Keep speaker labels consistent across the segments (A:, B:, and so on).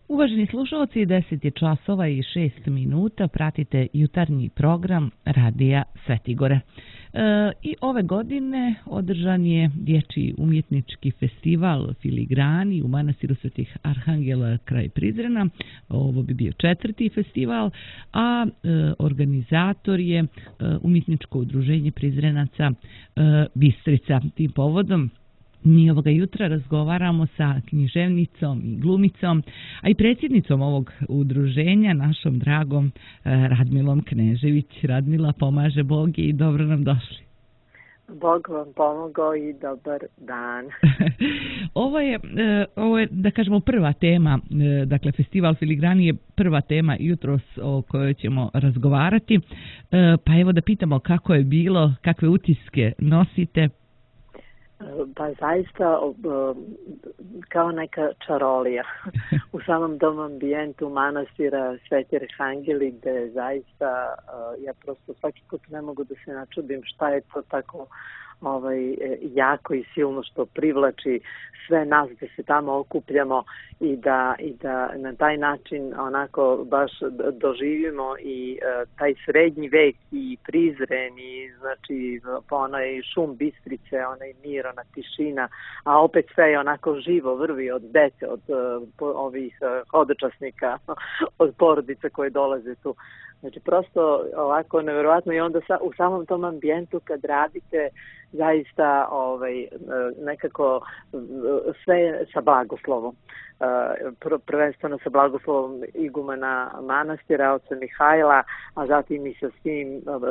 A: Uvaženi slušalci, 10 je časova i 6 minuta, pratite jutarnji program Radija Svetigore. I ove godine održan je dječji umjetnički festival Filigrani u manastiru Svetih Arhangela kraj Prizrena. Ovo bi bio 4. festival, a organizator je umjetničko udruženje Prizrenaca Bistrica. Tim povodom mi ovoga jutra razgovaramo sa književnicom i glumicom, a i predsjednicom ovog udruženja, našom dragom Radmilom Knežević. Radmila, pomaže Bog i dobro nam došli.
B: Bog vam pomogao i dobar dan.
A: Ovo je, da kažemo, prva tema, dakle, festival Filigrani je prva tema jutros o kojoj ćemo razgovarati. Pa evo da pitamo kako je bilo, kakve utiske nosite.
B: Pa zaista kao neka čarolija u samom dom ambijentu manastira Sveti Arhangeli, gde zaista ja prosto svaki put ne mogu da se načudim šta je to tako jako i silno što privlači sve nas da se tamo okupljamo i da na taj način onako baš doživimo i taj srednji vek i Prizren i znači onaj šum Bistrice, onaj mir, ona tišina, a opet sve je onako živo, vrvi od dece, od ovih hodočasnika, od porodica koje dolaze tu. Znači prosto ovako nevjerovatno i onda u samom tom ambijentu kad radite zaista nekako sve sa blagoslovom. Prvenstveno sa blagoslovom igumana manastira, oca Mihajla, a zatim i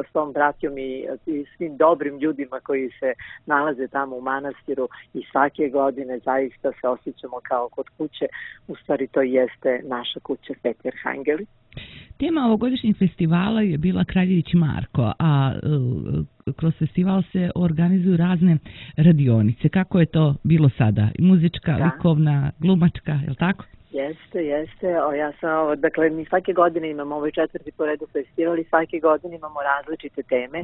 B: s tom bratjom i svim dobrim ljudima koji se nalaze tamo u manastiru i svake godine zaista se osjećamo kao kod kuće. U stvari to jeste naša kuća Sveti Arhangeli.
A: Tema ovogodišnjeg festivala je bila Kraljević Marko, a kroz festival se organizuju razne radionice. Kako je to bilo sada? Muzička, likovna, glumačka, je li tako?
B: Jeste. Ja sam, dakle, mi svake godine imamo ovaj 4. po redu festival i svake godine imamo različite teme.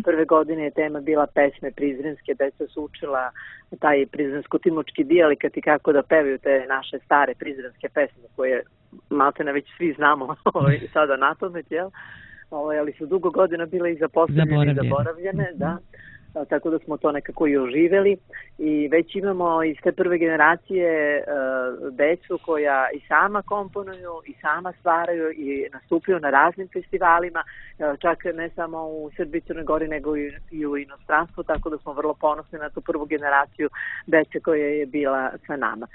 B: Prve godine je tema bila pesme prizrenske, deca su učila taj prizrensko-timočki dijalikat i kako da pevaju te naše stare prizrenske pesme koje maltene već svi znamo sada na pamet, jel? Ali su dugo godina bile i zapostavljene i zaboravljene, da. Tako da smo to nekako i oživjeli i već imamo iz te prve generacije decu koja i sama komponuju i sama stvaraju i nastupaju na raznim festivalima, čak ne samo u Srbiji, Crnoj Gori, nego i u inostranstvu, tako da smo vrlo ponosni na tu prvu generaciju dece koja je bila sa nama.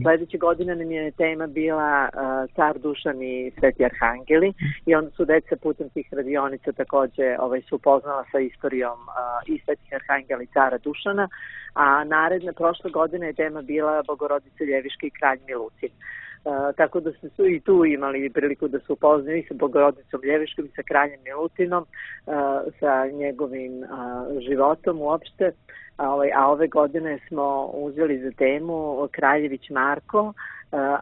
B: Sljedeće godine nam je tema bila Car Dušan i Sveti Arhangeli i onda su deca putem tih radionica također su upoznala sa istorijom i Svetih Arhangela i Cara Dušana, a naredne prošle godine je tema bila Bogorodica Ljeviška i Kralj Milutin. Tako da su i tu imali priliku da se upoznaju i sa Bogorodicom Ljeviškom i sa Kraljem Milutinom, sa njegovim životom uopšte. A ove godine smo uzeli za temu Kraljević Marko,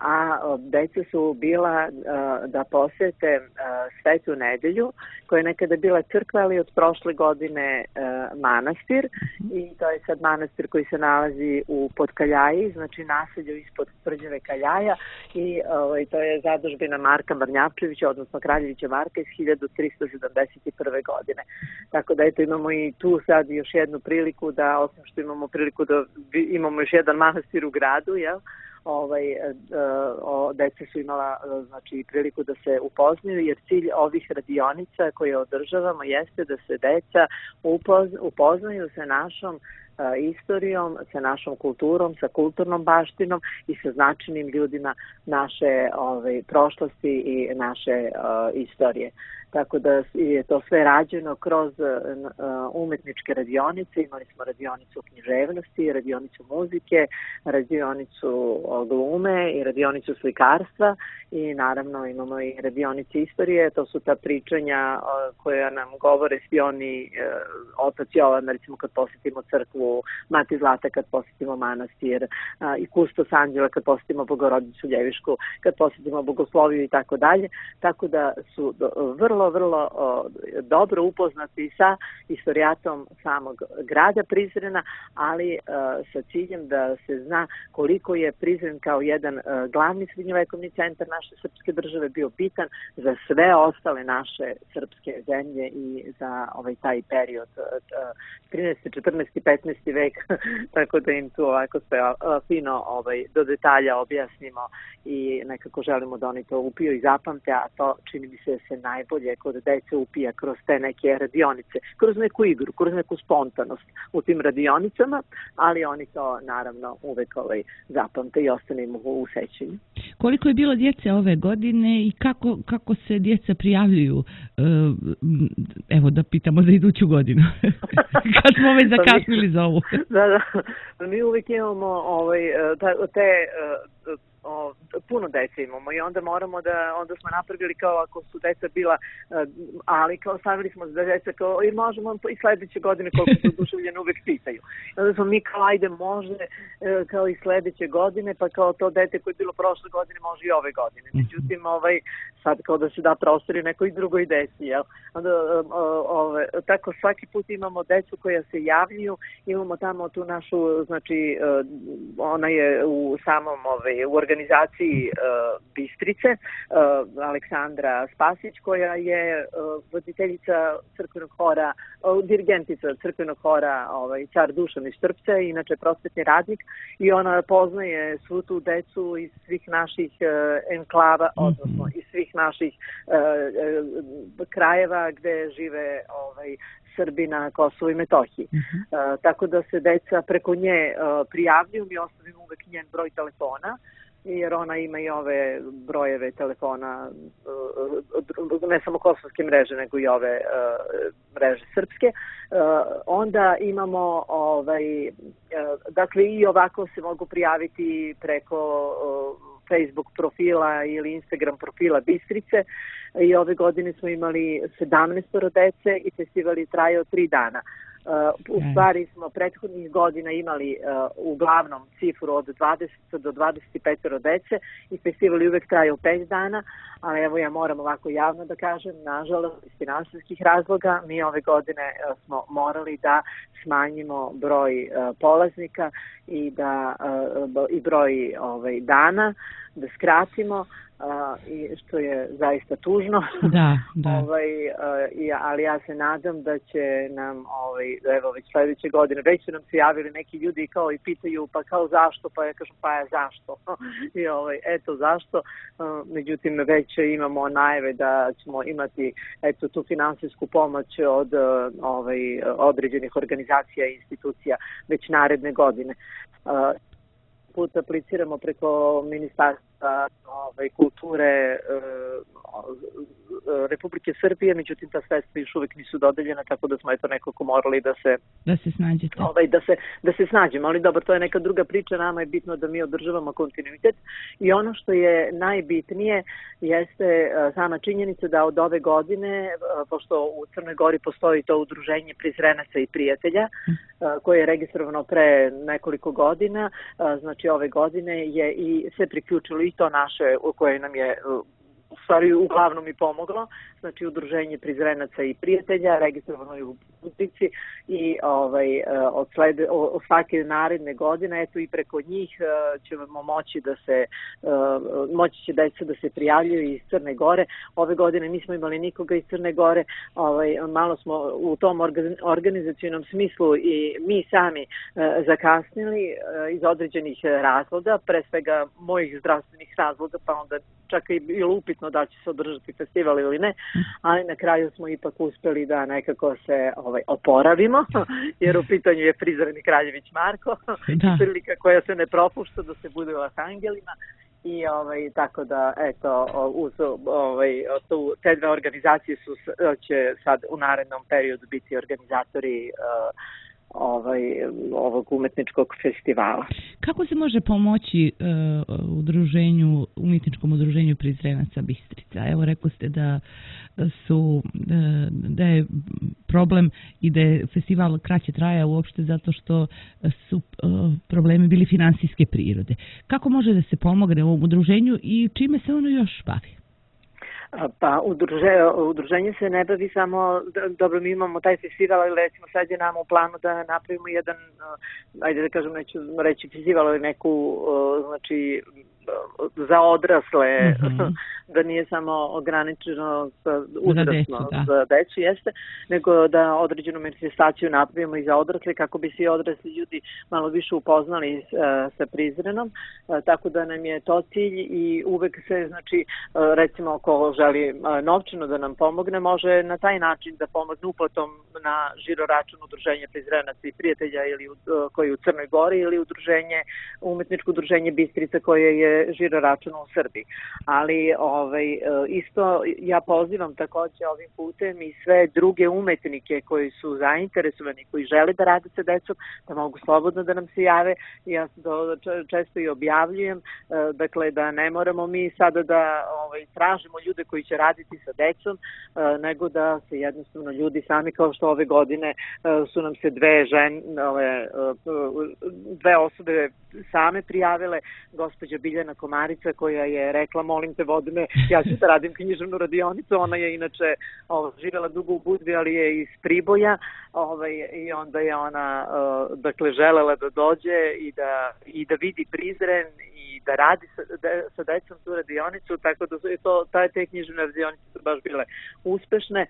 B: a deca su bila da posjete Svetu nedelju, koja je nekada bila crkva, ali od prošle godine manastir, i to je sad manastir koji se nalazi u Podkaljaji, znači naselju ispod Tvrđave Kaljaja, i to je zadužbina Marka Mrnjavčevića, odnosno Kraljevića Marka iz 1371. godine. Tako da eto imamo i tu sad još jednu priliku da, osim što imamo priliku da imamo još jedan manastir u gradu, jel? Deca su imala znači priliku da se upoznaju, jer cilj ovih radionica koje održavamo jeste da se deca upoznaju sa našom istorijom, sa našom kulturom, sa kulturnom baštinom i sa značajnim ljudima naše prošlosti i naše istorije. Tako da je to sve rađeno kroz umetničke radionice. Imali smo radionicu književnosti, radionicu muzike, radionicu glume i radionicu slikarstva i naravno imamo i radionice istorije. To su ta pričanja koja nam govore svi oni, otac Jovan, recimo kad posjetimo crkvu, Mati Zlata kad posjetimo manastir, i Kustos Anđela kad posjetimo Bogorodicu Ljevišku, kad posjetimo Bogosloviju i tako dalje. Tako da su vrlo vrlo dobro upoznati sa istorijatom samog grada Prizrena, ali sa ciljem da se zna koliko je Prizren kao jedan glavni srednjovekovni centar naše srpske države bio bitan za sve ostale naše srpske zemlje i za taj period 13. 14. 15. vek, tako da im tu ovako sve fino do detalja objasnimo i nekako želimo da oni to upiju i zapamte, a to čini mi se najbolje kod dece upija kroz te neke radionice, kroz neku igru, kroz neku spontanost u tim radionicama, ali oni to naravno uvek zapamte i ostane im u sećanju.
A: Koliko je bilo djece ove godine i kako se djeca prijavljuju? Evo da pitamo za iduću godinu. Kad smo već zakasnili za ovu.
B: Da. Mi uvijek imamo puno dece imamo i onda onda smo napravili kao ako su deca bila, ali kao stavili smo da deca kao i možemo i sledeće godine koliko su oduševljeni uvek pitaju. Onda smo mi kao ajde može kao i sledeće godine, pa kao to dete koje je bilo prošle godine može i ove godine. Međutim, sad kao da se da prostor i nekoj drugoj deci, jel? Onda, tako svaki put imamo decu koja se javljaju, imamo tamo tu našu, znači ona je u samom u organizaciji Bistrice, Aleksandra Spasić, koja je voditeljica crkvenog hora, dirigentica crkvenog hora Car Dušan iz Štrpca, inače prosvetni radnik, i ona poznaje svu tu decu iz svih naših enklava, odnosno iz svih naših krajeva gde žive Srbi na Kosovu i Metohiji. Tako da se deca preko nje prijavljuju, mi ostavimo uvek njen broj telefona, jer ona ima i ove brojeve telefona, ne samo kosovske mreže, nego i ove mreže srpske. Onda imamo, dakle i ovako se mogu prijaviti preko Facebook profila ili Instagram profila Bistrice i ove godine smo imali 17 dece i festival je trajao 3 dana. U stvari smo prethodnih godina imali uglavnom cifru od 20 do 25 dece i festival je uvek trajao 5 dana, ali evo ja moram ovako javno da kažem, nažalost iz finansijskih razloga mi ove godine smo morali da smanjimo broj polaznika i broj dana, da skratimo, i što je zaista tužno.
A: Da.
B: Ali ja se nadam da će nam evo već sledeće godine, već su nam se javili neki ljudi kao i pitaju pa kao zašto, pa ja kažem pa ja zašto i eto zašto, međutim već imamo najave da ćemo imati eto tu finansijsku pomoć od određenih organizacija i institucija već naredne godine. Put apliciramo preko Ministarstva kulture Republike Srbije, međutim ta sredstva još uvijek nisu dodeljena, tako da smo eto nekako morali da se
A: snađete.
B: Da se snađemo, ali dobro, to je neka druga priča, nama je bitno da mi održavamo kontinuitet i ono što je najbitnije jeste sama činjenica da od ove godine, pošto u Crnoj Gori postoji to udruženje Prizrenaca i prijatelja, koje je registrovano pre nekoliko godina, znači ove godine je i se priključilo i to naše koje nam je u stvari uglavnom i pomoglo, znači udruženje Prizrenaca i prijatelja, registrovano je u Budnici i od svake naredne godine, eto i preko njih ćemo moći moći će deca da se prijavljuju iz Crne Gore. Ove godine nismo imali nikoga iz Crne Gore, malo smo u tom organizacijnom smislu i mi sami zakasnili iz određenih razloga, pre svega mojih zdravstvenih razloga, pa onda čak i bilo upitno da će se održati festival ili ne, ali na kraju smo ipak uspeli da nekako se oporavimo, jer u pitanju je Prizren i Kraljević Marko, prilika koja se ne propušta da se bude u Arhangelima i tako da eto uz te dve organizacije će sad u narednom periodu biti organizatori ovog umetničkog festivala.
A: Kako se može pomoći umjetničkom udruženju Prizrenaca Bistrica? Evo rekli ste da je problem i da je festival kraće traja uopšte zato što su problemi bili finansijske prirode. Kako može da se pomogne ovom udruženju i čime se ono još bavi?
B: Pa udruženje se ne bavi samo, dobro, mi imamo taj festival, ali recimo sad je nam u planu da napravimo jedan, ajde da kažem, neću reći festival, ali neku, znači, za odrasle, da nije samo ograničeno uzrasno za decu, jeste, nego da određenu manifestaciju napravimo i za odrasle kako bi svi odrasli ljudi malo više upoznali sa Prizrenom, tako da nam je to cilj i uvek se, znači, recimo ako želi novčano da nam pomogne, može na taj način da pomogne uplatom na žiro račun udruženja Prizrenaca i prijatelja ili koji je u Crnoj Gori ili umetničko udruženje Bistrica koje je žiro račun u Srbiji. Ali isto ja pozivam takođe ovim putem i sve druge umetnike koji su zainteresovani, koji žele da rade sa decom, da mogu slobodno da nam se jave. Ja to često i objavljujem, dakle da ne moramo mi sada da tražimo ljude koji će raditi sa decom, nego da se jednostavno ljudi sami, kao što ove godine su nam se dve osobe same prijavile, gospođa Biljana Komarica koja je rekla, molim te vodi me, ja ću da radim književnu radionicu, ona je inače živjela dugo u Budvi, ali je iz Priboja, i onda je ona dakle želela da dođe i da vidi Prizren i da radi sa decom tu radionicu, tako da su te književne radionice su baš bile uspešne.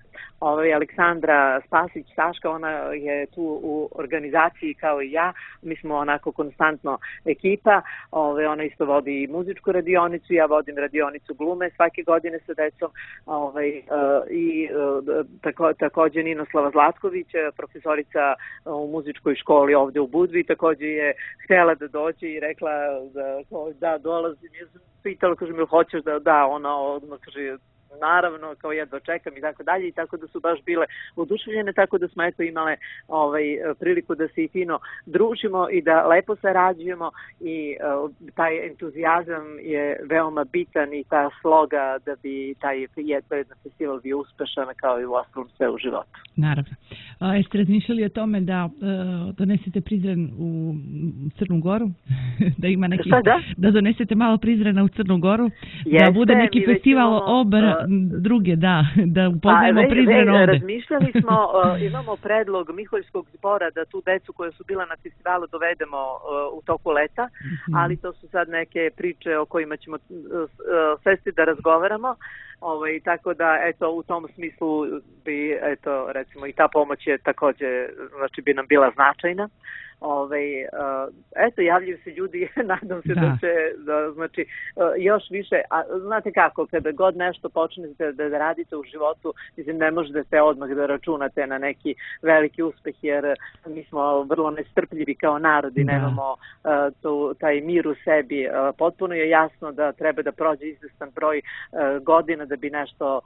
B: Aleksandra Spasić Saška, ona je tu u organizaciji kao i ja, mi smo onako konstantno ekipa, ona isto vodi i muzičku radionicu, ja vodim radionicu glume svake godine sa decom, i takođe Ninoslava Zlatković, profesorica u muzičkoj školi ovde u Budvi, takođe je htjela da dođe i rekla da dolazim, ja sam pitala, kaže mi, hoćeš da, ona odmah kaže, naravno, kao jedva čekam i tako dalje, i tako da su baš bile oduševljene, tako da smo eto imale priliku da se i fino družimo i da lepo sarađujemo i taj entuzijazam je veoma bitan i ta sloga da bi taj jedan festival bio uspešan kao i u ostalom sve u životu.
A: Naravno. Jeste razmišljali o tome da donesete Prizren u Crnu Goru? Da ima neki... Da donesete malo Prizrena u Crnu Goru? Da bude neki festival druge, da upoznajemo Prizren ovde.
B: Razmišljali smo, imamo predlog Miholjskog zbora da tu decu koja su bila na festivalu dovedemo u toku leta, ali to su sad neke priče o kojima ćemo sesti da razgovaramo. Tako da, eto, u tom smislu bi, eto, recimo, i ta pomoć je takođe, znači, bi nam bila značajna. Eto, javljaju se ljudi, nadam se da će, znači, još više, a znate kako, kada god nešto počnete da radite u životu, mislim, ne možete odmah da računate na neki veliki uspeh, jer mi smo vrlo nestrpljivi kao narod i nemamo taj mir u sebi. Potpuno je jasno da treba da prođe izvestan broj godina da bi nešto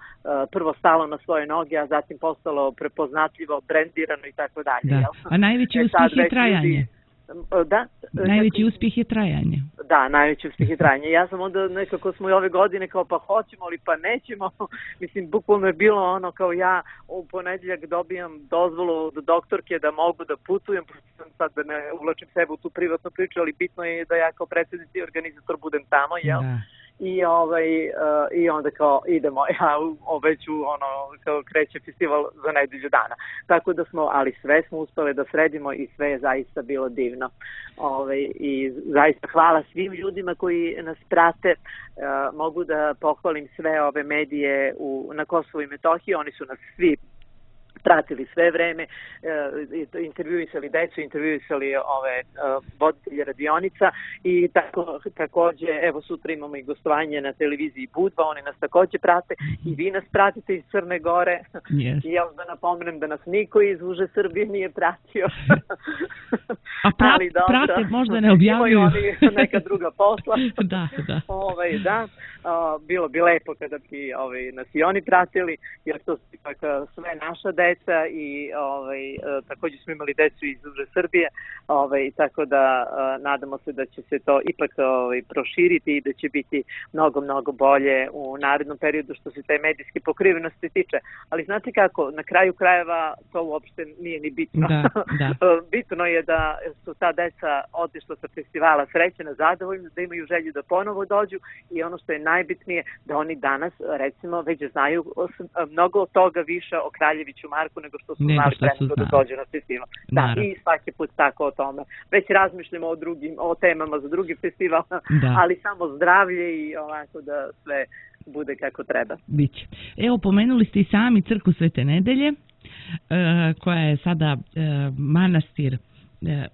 B: prvo stalo na svoje noge, a zatim postalo prepoznatljivo, brendirano i tako dalje.
A: A najveći uspjeh je trajanje.
B: Da.
A: Najveći uspjeh je trajanje.
B: Da, najveći uspjeh je trajanje. Ja sam onda nekako smo i ove godine kao pa hoćemo ali pa nećemo. Mislim, bukvalno je bilo ono kao ja u ponedjeljak dobijam dozvolu od doktorke da mogu da putujem. Sad da ne uvlačim sebe u tu privatnu priču, ali bitno je da ja kao predsjednik i organizator budem tamo, jel? Da. I onda kao idemo, ja već kao kreće festival za nedelju dana. Tako da smo, ali sve smo uspeli da sredimo i sve je zaista bilo divno. I zaista hvala svim ljudima koji nas prate. Mogu da pohvalim sve ove medije na Kosovu i Metohiji, oni su nas svi pratili sve vreme, intervjuisali decu, intervjuisali voditelje radionica i takođe, evo sutra imamo i gostovanje na televiziji Budva, oni nas takođe prate i vi nas pratite iz Crne Gore. I ja da napomenem da nas niko iz uže Srbije nije pratio.
A: A prate možda ne objavljuju.
B: Imaju oni neka druga posla.
A: Da.
B: Bilo bi lepo kada bi nas i oni pratili, jer to su ipak sve naša deca i također smo imali decu iz uže Srbije, tako da nadamo se da će se to ipak proširiti i da će biti mnogo, mnogo bolje u narednom periodu što se te medijske pokrivenosti tiče. Ali znate kako, na kraju krajeva to uopšte nije ni bitno. Bitno je da su ta deca otišla sa festivala srećena, zadovoljna, da imaju želju da ponovo dođu i ono što je najbitnije da oni danas, recimo, već znaju mnogo toga više o Kraljeviću Marku nego što su znali pre nego da dođe na festival. Da, i svaki put tako o tome. Već razmišljamo o temama za drugi festival, ali samo zdravlje i ovako da sve bude kako treba.
A: Biće. Evo, pomenuli ste i sami crkvu Svete Nedelje, koja je sada manastir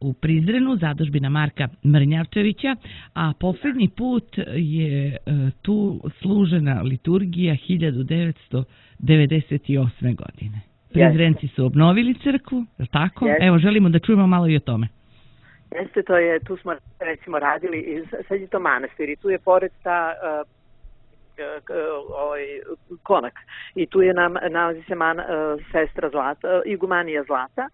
A: u Prizrenu, zadužbina Marka Mrnjavčevića, a posljednji put je tu služena liturgija 1998. godine. Prizrenci su obnovili crkvu, je li tako? Evo, želimo da čujemo malo i o tome.
B: Jeste, tu smo recimo radili, sad je to manastir i tu je pored ta konak i tu je nalazi se sestra Zlata, igumanija Zlata,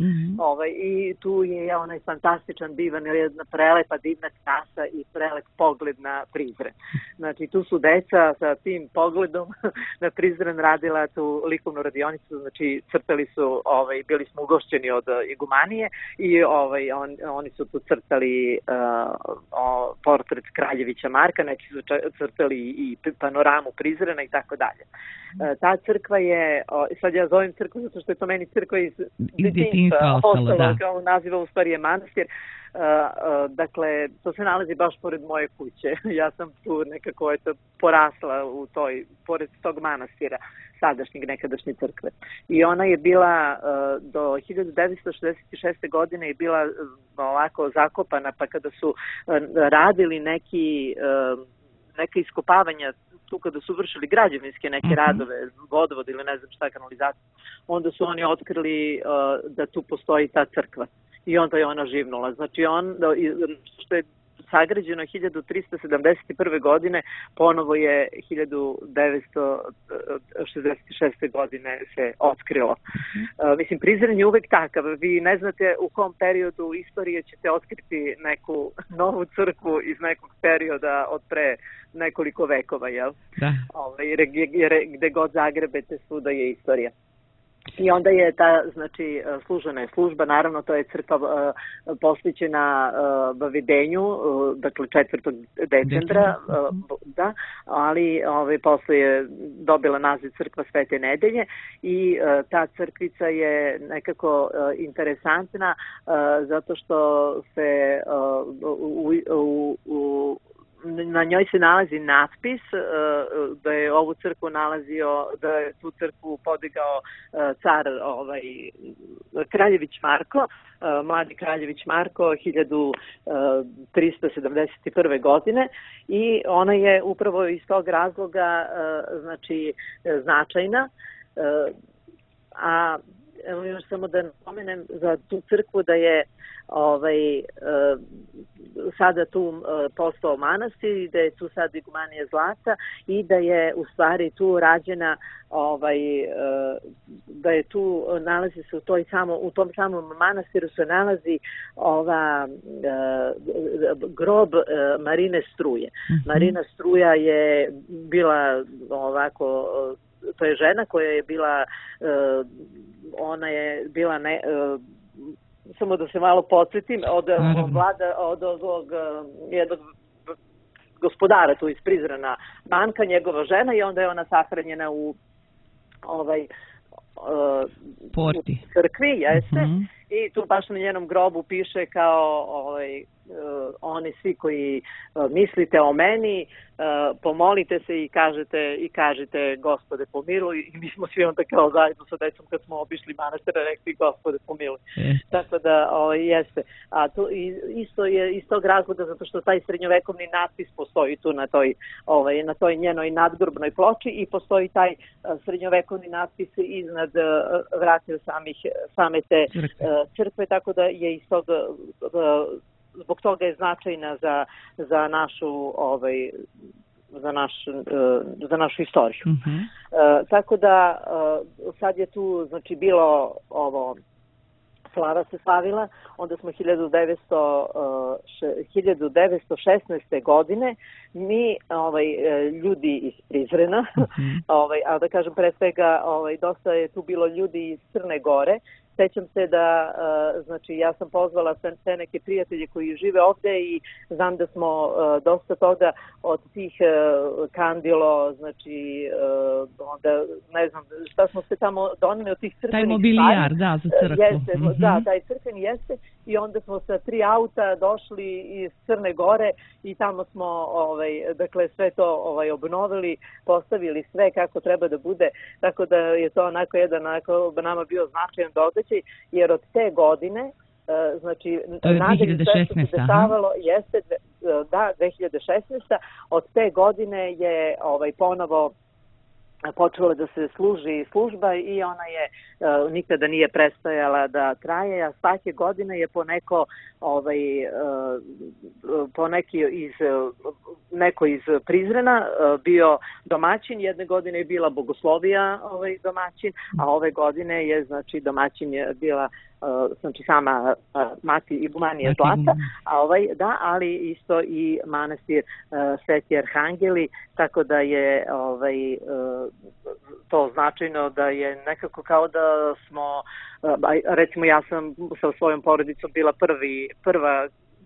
B: i tu je onaj fantastičan divan, jedna prelepa divna trasa i prelep pogled na Prizren. Znači tu su deca sa tim pogledom na Prizren radila tu likovnu radionicu, znači crtali su, bili smo ugošćeni od igumanije i oni su tu crtali portret Kraljevića Marka, neki su crtali i panoramu Prizrena i tako dalje. Ta crkva je, sad ja zovem crkvu zato što je to meni crkva iz detinjstva ostalo, kao naziva u stvari je manastir. Dakle, to se nalazi baš pored moje kuće. Ja sam tu nekako porasla pored tog manastira, sadašnjeg nekadašnje crkve. I ona je bila do 1966. godine je bila ovako zakopana, pa kada su radili neke iskopavanja tu kada su vršili građevinske neke radove, vodovod ili ne znam šta, kanalizaciju, onda su oni otkrili da tu postoji ta crkva. I onda je ona živnula. Znači, što je sagrađeno 1371. godine, ponovo je 1966. godine se otkrilo. Mislim, Prizren je uvek takav. Vi ne znate u kom periodu istorije ćete otkriti neku novu crkvu iz nekog perioda od pre nekoliko vekova, jel? Da. Gde god zagrebete, svuda je istorija. I onda je ta, znači, služena je služba, naravno to je crkva posvećena Vavedenju, dakle 4. decembra, da, ali posle je dobila naziv crkva Svete Nedelje i ta crkvica je nekako interesantna zato što se na njoj se nalazi natpis da je ovu crkvu da je tu crkvu podigao car Kraljević Marko, mladi Kraljević Marko 1371. godine i ona je upravo iz tog razloga znači značajna, a evo još samo da napomenem za tu crkvu da je sada tu postao manastir i da je tu sad igumanija Zlata i da je u stvari tu rađena da je tu nalazi se u tom samom manastiru se nalazi grob Marine Struje. Marina Struja je bila ovako, to je žena koja je bila ona je bila samo da se malo podsjetim, od jednog gospodara tu iz Prizrena Banka, njegova žena, i onda je ona sahranjena u crkvi, jeste, i tu baš na njenom grobu piše kao oni svi koji mislite o meni, pomolite se i kažete Gospode pomiluj, i mi smo svi onda kao zajedno sa decom kad smo obišli manastira rekli Gospode pomiluj. Tako da jeste. A to isto je iz tog razloga zato što taj srednjovekovni natpis postoji tu na toj njenoj nadgrobnoj ploči i postoji taj srednjovekovni natpis iznad vratija same te crkve, tako da je iz tog zbog toga je značajna za našu istoriju. Tako da sad je tu znači bilo slava se slavila, onda smo 1916. godine mi ljudi iz Prizrena, a da kažem pre svega dosta je tu bilo ljudi iz Crne Gore sećam se da, znači, ja sam pozvala te neke prijatelje koji žive ovde i znam da smo dosta toga od tih kandilo, znači, onda, ne znam, šta smo se tamo doneli od tih crkvenih stvari.
A: Taj mobilijar, da, za crkvu.
B: Jeste, da, taj crkveni jeste i onda smo sa 3 auta došli iz Crne Gore i tamo smo, dakle, sve to obnovili, postavili sve kako treba da bude, tako da je to onako jedan nama bio značajan događaj, jer od te godine, znači, nadalje sve što se dešavalo jeste, da, 2016. Od te godine je ponovo počela da se služi služba i ona je nikada nije prestajala da traje, a svake godine je neko iz Prizrena bio domaćin, jedne godine je bila Bogoslovija domaćin, a ove godine je, znači, domaćin je bila znači sama mati Igumanije Zlata, da, ali isto i manastir Sveti Arhangeli, tako da je to značajno da je nekako kao da smo, recimo ja sam sa svojom porodicom bila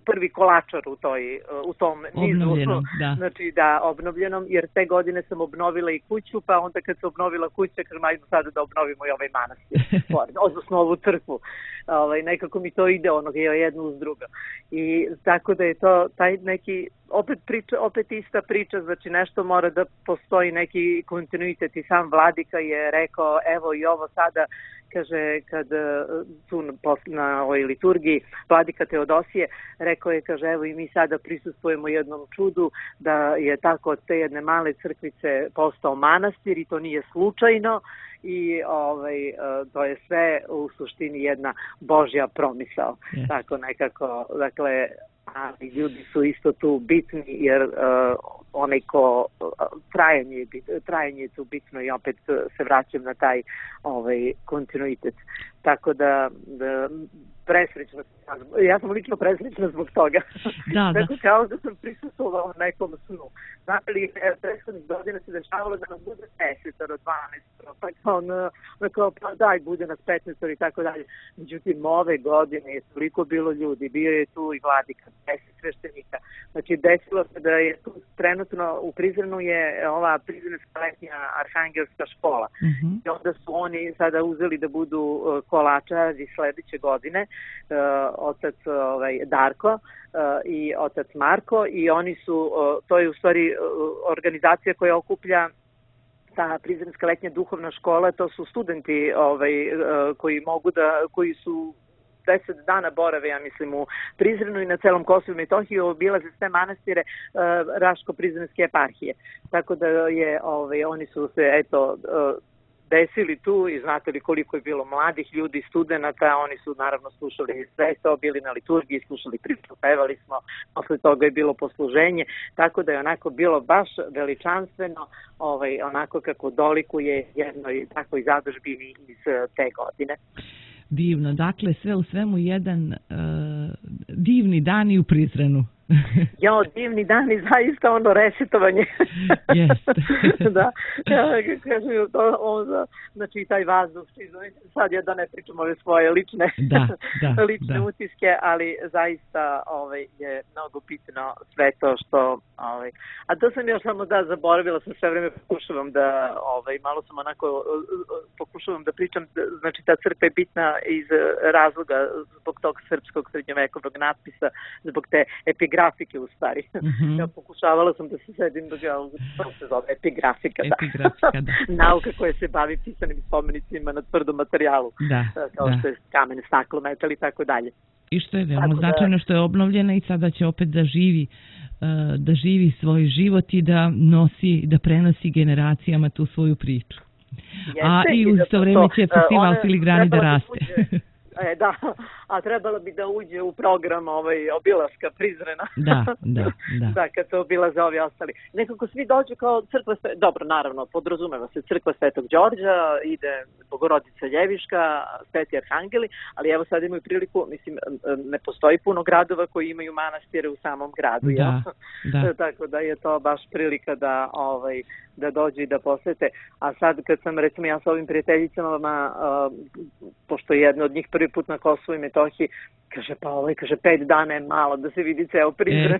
B: prvi kolačar u tom nizu, znači da, obnovljenom, jer te godine sam obnovila i kuću, pa onda kad se obnovila kuća, kažem, ajde sada da obnovimo i ovaj manastir, odnosno ovu crkvu. Nekako mi to ide jedno uz drugo. I tako da je to taj neki, opet ista priča, znači nešto mora da postoji neki kontinuitet i sam vladika je rekao, evo i ovo sada, kaže, kad tu na ovoj liturgiji vladika Teodosije, rekao je, kaže, evo i mi sada prisustvujemo jednom čudu da je tako od te jedne male crkvice postao manastir i to nije slučajno i to je sve u suštini jedna Božja promisao. Tako nekako, dakle, ali ljudi su isto tu bitni jer onaj ko trajanje je tu bitno i opet se vraćam na taj kontinuitet. Tako da presrećna sam. Ja sam lično presrećna zbog toga. Da. Kao da sam prisustvovala nekom snu. Znate li, prethodnih godina se dešavalo da nas bude 10 do 12, pa kao daj, bude nas 15 i tako dalje. Međutim, ove godine je toliko bilo ljudi, bio je tu i vladika, 10 sveštenika. Znači, desilo se da je tu trenutno u Prizrenu je ova Prizrenska letnja arhangelska škola. I onda su oni sada uzeli da budu kolačari sledeće godine, otac Darko i otac Marko, i oni su, to je u stvari organizacija koja okuplja ta Prizrenska letnja duhovna škola, to su studenti koji su 10 dana borave, ja mislim, u Prizrenu i na celom Kosovu i Metohiji, obilaze sve manastire Raško-Prizrenske eparhije. Tako da je, oni su se, eto, desili tu i znate li koliko je bilo mladih ljudi, studenata, oni su naravno slušali sve to, bili na liturgiji, slušali priču, pevali smo, posle toga je bilo posluženje, tako da je onako bilo baš veličanstveno, onako kako dolikuje jednoj takvoj zadužbini iz te godine.
A: Divno, dakle sve u svemu jedan divni dan i u Prizrenu.
B: Jo, divni dan i zaista resetovanje.
A: Jeste.
B: Da, kažem, znači taj vazduh, sad ja da ne pričam ove svoje lične utiske, ali zaista je mnogo bitno sve to što, a to sam još samo zaboravila sam sve vreme, pokušavam da, malo sam onako, pokušavam da pričam, znači ta crkva je bitna iz razloga zbog tog srpskog srednjovekovnog natpisa, zbog te epigrafike u stvari. Ja pokušavala sam da se sedim to se zove epigrafika,
A: da.
B: Nauka koja se bavi pisanim spomenicima na tvrdom materijalu, kao što je kamen, staklo, metal i tako dalje.
A: I što je veoma značajno što je obnovljena i sada će opet da živi svoj život i da prenosi generacijama tu svoju priču. A i u to vreme će festival Filigrani da raste.
B: Da, a trebalo bi da uđe u program obilaska Prizrena.
A: Da,
B: kad to obilaze ovi ostali. Nekako svi dođu kao crkva, dobro, naravno, podrazumeva se crkva Svetog Đorđa, ide Bogorodica Ljeviška, Sveti Arhangeli, ali evo sad imaju priliku, mislim, ne postoji puno gradova koji imaju manastire u samom gradu,
A: da.
B: Tako da je to baš prilika da dođu i da posete. A sad kad sam, recimo, ja sa ovim prijateljicama, pošto je jedna od njih prvi put na Kosovu i Metohiji, kaže, pa 5 dana je malo da se vidi ceo Prizren.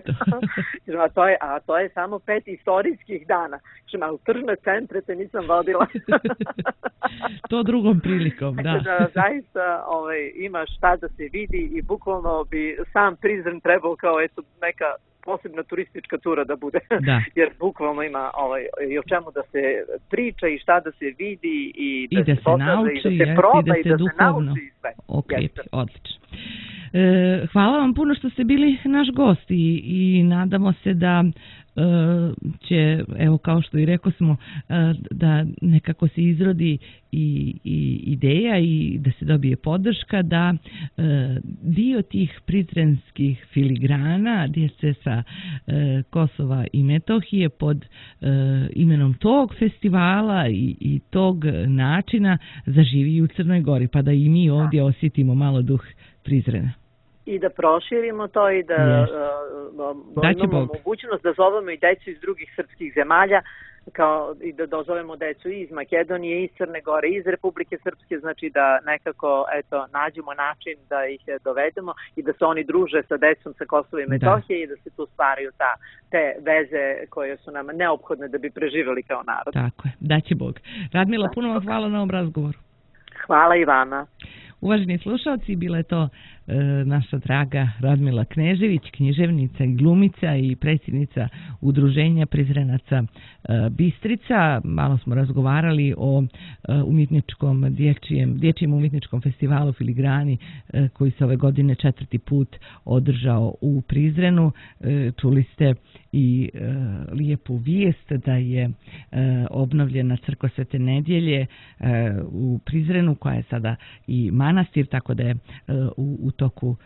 B: a to je samo 5 istorijskih dana. Kažem, a u tržne centre te nisam vodila.
A: To drugom prilikom, da.
B: Da, zaista ima šta da se vidi i bukvalno bi sam Prizren trebao kao neka posebna turistička tura da bude, jer bukvalno ima i o čemu da se priča i šta da se vidi i
A: da se nauči,
B: i da se proba i da se
A: duhovno
B: nauči i sve.
A: Okrepi, odlično. Hvala vam puno što ste bili naš gost i nadamo se da će, evo kao što i rekao smo, da nekako se izrodi i ideja i da se dobije podrška da dio tih prizrenskih filigrana djece sa Kosova i Metohije pod imenom tog festivala i tog načina zaživi u Crnoj Gori, pa da i mi ovdje osjetimo malo duh Prizrena.
B: I da proširimo to i da imamo mogućnost da zovemo i decu iz drugih srpskih zemalja, kao i da dozovemo decu iz Makedonije, iz Crne Gore, iz Republike Srpske, znači da nekako nađemo način da ih dovedemo i da se oni druže sa decom sa Kosova i Metohije i da se tu stvaraju te veze koje su nam neophodne da bi preživjeli kao narod.
A: Tako je, daće Bog. Radmila, puno vam hvala na ovom razgovoru.
B: Hvala i vama.
A: Uvaženi slušalci, bila je to naša draga Radmila Knežević, književnica i glumica i predsjednica Udruženja Prizrenaca Bistrica. Malo smo razgovarali o dječjem umjetničkom festivalu Filigrani koji se ove godine 4. put održao u Prizrenu. Čuli ste i lijepu vijest da je obnovljena crkva Svete Nedjelje u Prizrenu, koja je sada i manastir, tako da je u toku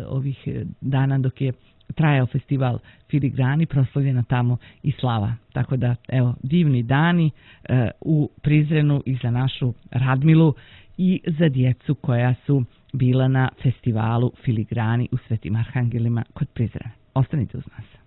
A: ovih dana dok je trajao festival Filigrani proslavljena tamo i slava. Tako da, evo, divni dani u Prizrenu i za našu Radmilu i za djecu koja su bila na festivalu Filigrani u Svetim Arhangelima kod Prizrena. Ostanite uz nas.